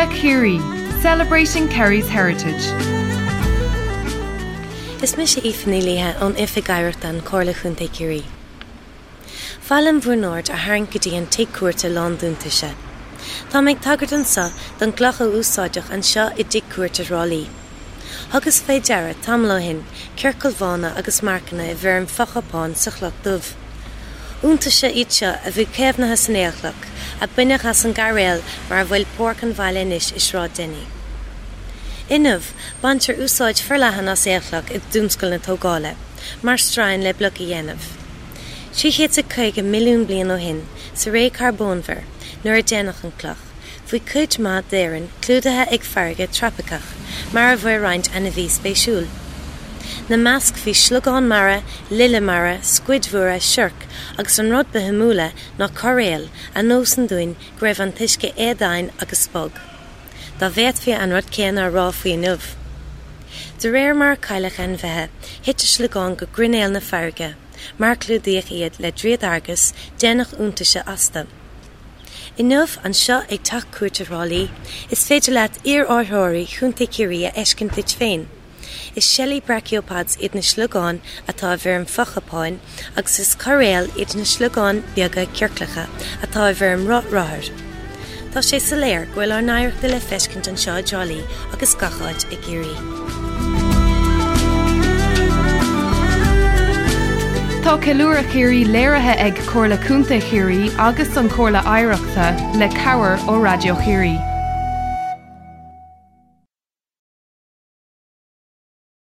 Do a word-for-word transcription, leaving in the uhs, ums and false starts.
Ceiliúradh Chiarraí, celebrating Kerry's heritage. Is mise Aoife Ní Laoithe ón Oifig Oidhreachta an Chomhairle Chontae Chiarraí. Ba mhaith liom bhur n-aird a tharraingt go dtí an tigh cúirte lán d'iontaise. Tá mé ag tagairt anseo don gcloch a úsáideadh anseo i dtigh cúirte Thrá Lí. Thugas fé deara tamall ó shin ciorcail bhána agus marcanna i bhfoirm fochupáin sa chloch dubh. Iontaise iad seo a bhí caomhnaithe san aolchloch, a baineadh as an gcairéal mar a bhfuil páirc an bhaile anois i Sráid Denny. Inniu baintear úsáid forleathan as aolchloch i dtionscal na tógála, mar stroighin le bloic a dhéanamh. Trí chéad is caoga milliún bliain ó shin, sa ré Carbónmhar, nuair a déanadh an cloch, bhí cuid mhaith d'Éirinn clúdaithe ag farraige trópaiceach, mar a bhfuil roinnt ainmhí spéisiúil. Ina measc bhí sliogán mara, lile mara, scuid mhóra, siorc, agus an rud ba shuimiúla ná coiréal a nochtann dúinn go raibh an t-uisce éadomhain agus bog. Dá bhféadfaí an rud céanna a rá faoi inniu. De réir mar a cailleadh ainmhithe, thit a sliogáin go grinneall na farraige, mar clúdaíodh iad le dríodar agus déanadh iontaise astu. Inniu anseo ag Teach Cúirte Thrá Lí, is féidir leat iar-áitritheoirí Chontae Chiarraí a fheiscint duit féin. Is seilí brachiopods iad na sliogáin atá i bhfoirm fochupáin agus is coiréil iad na sliogáin beaga ciorclacha atá i bhfoirm roth rothair. Tá sé soiléir go bhfuil ár n-oidhreacht le feiscint anseo i dTrá Lí agus gach áit i gCiarraí. Tá Ceiliúradh Chiarraí léirithe ag Comhairle Contae Chiarraí agus an Chomhairle Oidhreachta le cabhair ó Raidió Chiarraí.